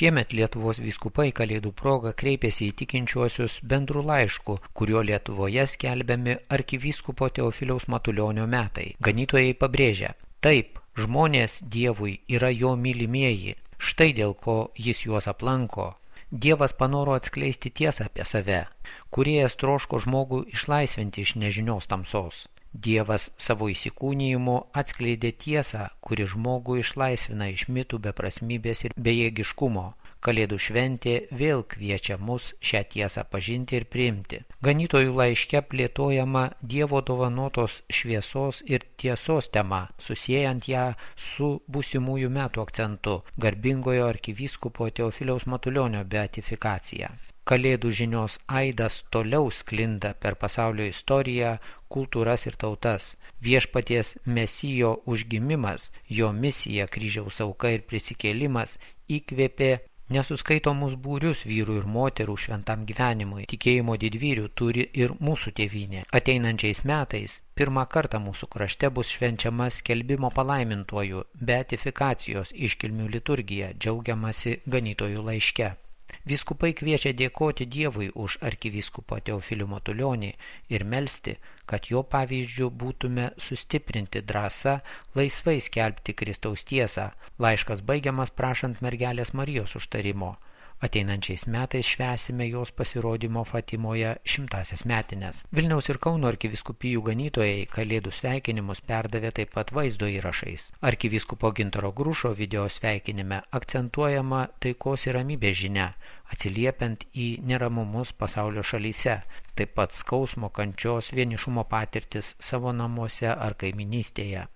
Šiemet Lietuvos vyskupai Kalėdų proga kreipėsi į tikinčiuosius bendru laišku, kuriuo Lietuvoje skelbiami arkivyskupo Teofiliaus Matulionio metai. Ganytojai pabrėžia: taip, žmonės Dievui yra jo mylimieji, štai dėl ko jis juos aplanko. Dievas panoro atskleisti tiesą apie save. Kūrėjas troško žmogų išlaisvinti iš nežinios tamsos. Dievas savo įsikūnijimu atskleidė tiesą, kuri žmogų išlaisvina iš mitų beprasmybės ir bejėgiškumo. Kalėdų šventė vėl kviečia mus šią tiesą pažinti ir priimti. Ganytojų laiške plėtojama Dievo dovanotos šviesos ir tiesos tema, susiejant ją su būsimųjų metų akcentu – garbingojo arkivyskupo Teofiliaus Matulionio beatifikacija. Kalėdų žinios aidas toliau sklinda per pasaulio istoriją, kultūras ir tautas. Viešpaties Mesijo užgimimas, jo misija, kryžiaus auka ir prisikėlimas įkvėpė nesuskaitomus būrius vyrų ir moterų šventam gyvenimui. Tikėjimo didvyrių turi ir mūsų tėvynė. Ateinančiais metais pirmą kartą mūsų krašte bus švenčiama skelbimo palaimintuoju beatifikacijos iškilmių liturgija, džiaugiamasi ganytojų laiške. Vyskupai kviečia dėkoti Dievui už arkivyskupą Teofilių Matulionį ir melsti, kad jo pavyzdžiu būtume sustiprinti drąsą laisvai skelbti Kristaus tiesą. Laiškas baigiamas prašant mergelės Marijos užtarimo. Ateinančiais metais švęsime jos pasirodymo Fatimoje 100-asias metines. Vilniaus ir Kauno arkivyskupijų ganytojai Kalėdų sveikinimus perdavė taip pat vaizdo įrašais. Arkivyskupo Gintaro Grušo video sveikinime akcentuojama taikos ir ramybės žinia, atsiliepiant į neramumus pasaulio šalyse, taip pat skausmo, kančios, vienišumo patirtis savo namuose ar kaiminystėje.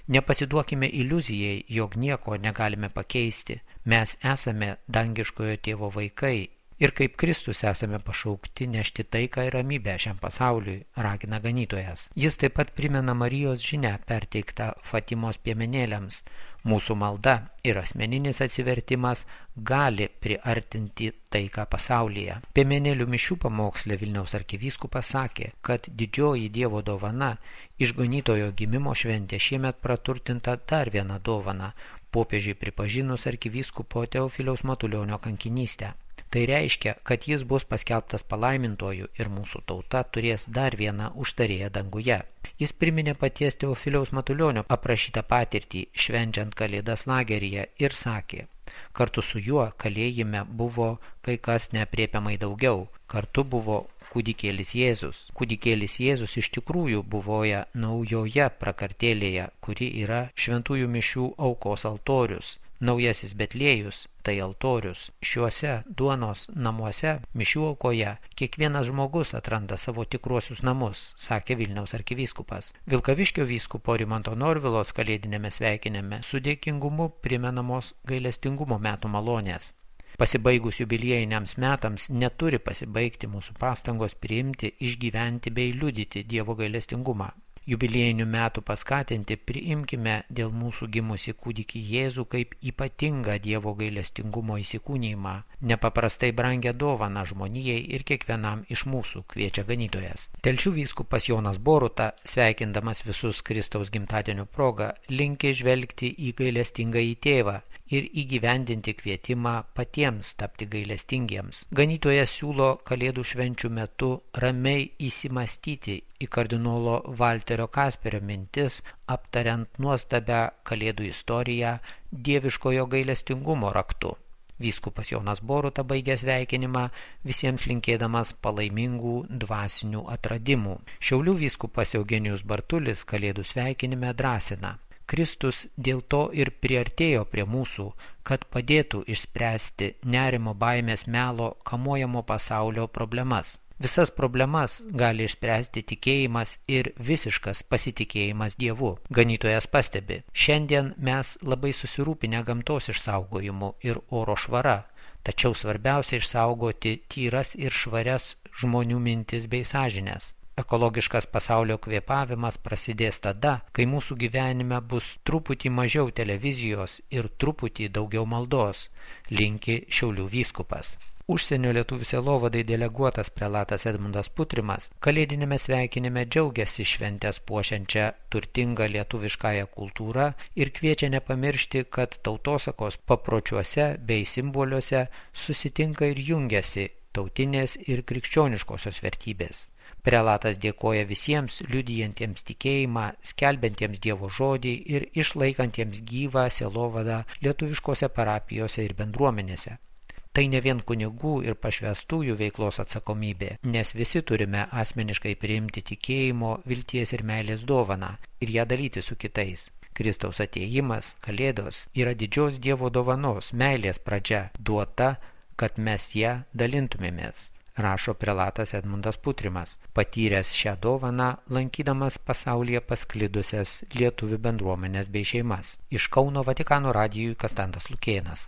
Nepasiduokime iliuzijai, jog nieko negalime pakeisti. Mes esame dangiškojo tėvo vaikai ir kaip Kristus esame pašaukti nešti taiką ir ramybę šiam pasauliui, ragina ganytojas. Jis taip pat primena Marijos žinią perteiktą Fatimos piemenėliams. Mūsų malda ir asmeninis atsivertimas gali priartinti taiką pasaulyje. Piemenėlių mišių pamoksle Vilniaus arkivyskupas sakė, kad didžioji Dievo dovana, išganytojo gimimo šventė šiemet praturtinta dar viena dovana, popiežiui pripažinus arkivyskupo Teofiliaus Matulionio kankinystę. Tai reiškia, kad jis bus paskelbtas palaimintoju ir mūsų tauta turės dar vieną užtarėją danguje. Jis priminė paties Teofiliaus Matulionio aprašytą patirtį švenčiant Kalėdas lageryje ir sakė: kartu su juo kalėjime buvo kai kas neaprėpiamai daugiau. Kartu buvo kūdikėlis Jėzus. Kūdikėlis Jėzus iš tikrųjų buvoja naujoje prakartėlėje, kuri yra šventųjų mišių aukos altorius. Naujasis Betliejus tai altorius. Šiuose duonos namuose, mišių aukoje, kiekvienas žmogus atranda savo tikruosius namus, sakė Vilniaus arkivyskupas. Vilkaviškio vyskupo Rimanto Norvilos kalėdinėme sveikinime su dėkingumu primenamos gailestingumo metų malonės. Pasibaigus jubiliejiniams metams neturi pasibaigti mūsų pastangos priimti, išgyventi bei liudyti Dievo gailestingumą. Jubiliejinių metų paskatinti priimkime dėl mūsų gimusi kūdikį Jėzų kaip ypatingą Dievo gailestingumo įsikūnijimą, nepaprastai brangią dovaną žmonijai ir kiekvienam iš mūsų, kviečia ganytojas. Telšių vyskupas Jonas Boruta, sveikindamas visus Kristaus gimtadienio proga, linki žvelgti į gailestingąjį tėvą ir įgyvendinti kvietimą patiems tapti gailestingiems. Ganytojas siūlo Kalėdų švenčių metu ramiai įsimastyti į kardinolo Valterio Kasperio mintis, aptariant nuostabią Kalėdų istoriją dieviškojo gailestingumo raktu. Vyskupas Jonas Boruta baigė sveikinimą, visiems linkėdamas palaimingų dvasinių atradimų. Šiaulių vyskupas Eugenijus Bartulis Kalėdų sveikinime drąsina: Kristus dėl to ir priartėjo prie mūsų, kad padėtų išspręsti nerimo, baimės, melo, kamuojamo pasaulio problemas. Visas problemas gali išspręsti tikėjimas ir visiškas pasitikėjimas Dievu. Ganytojas pastebi: šiandien mes labai susirūpinę gamtos išsaugojimu ir oro švara, tačiau svarbiausia išsaugoti tyras ir švarias žmonių mintis bei sąžines. Ekologiškas pasaulio kvėpavimas prasidės tada, kai mūsų gyvenime bus truputį mažiau televizijos ir truputį daugiau maldos, linki Šiaulių vyskupas. Užsienio lietuvių sielovadai deleguotas prelatas Edmundas Putrimas kalėdinėme sveikinime džiaugiasi šventės puošiančią turtingą lietuviškąją kultūrą ir kviečia nepamiršti, kad tautosakos papročiuose bei simboliuose susitinka ir jungiasi tautinės ir krikščioniškosios vertybės. Prelatas dėkoja visiems liudijantiems tikėjimą, skelbiantiems Dievo žodį ir išlaikantiems gyvą sielovadą lietuviškose parapijose ir bendruomenėse. Tai ne vien kunigų ir pašvęstųjų veiklos atsakomybė, nes visi turime asmeniškai priimti tikėjimo, vilties ir meilės dovaną ir ją dalyti su kitais. Kristaus atėjimas, Kalėdos, yra didžios Dievo dovanos, meilės pradžia, duota, kad mes ją dalintumėmės, rašo prelatas Edmundas Putrimas, patyręs šią dovaną, lankydamas pasaulyje pasklidusias lietuvių bendruomenės bei šeimas. Iš Kauno Vatikano radijui Konstantas Lukėnas.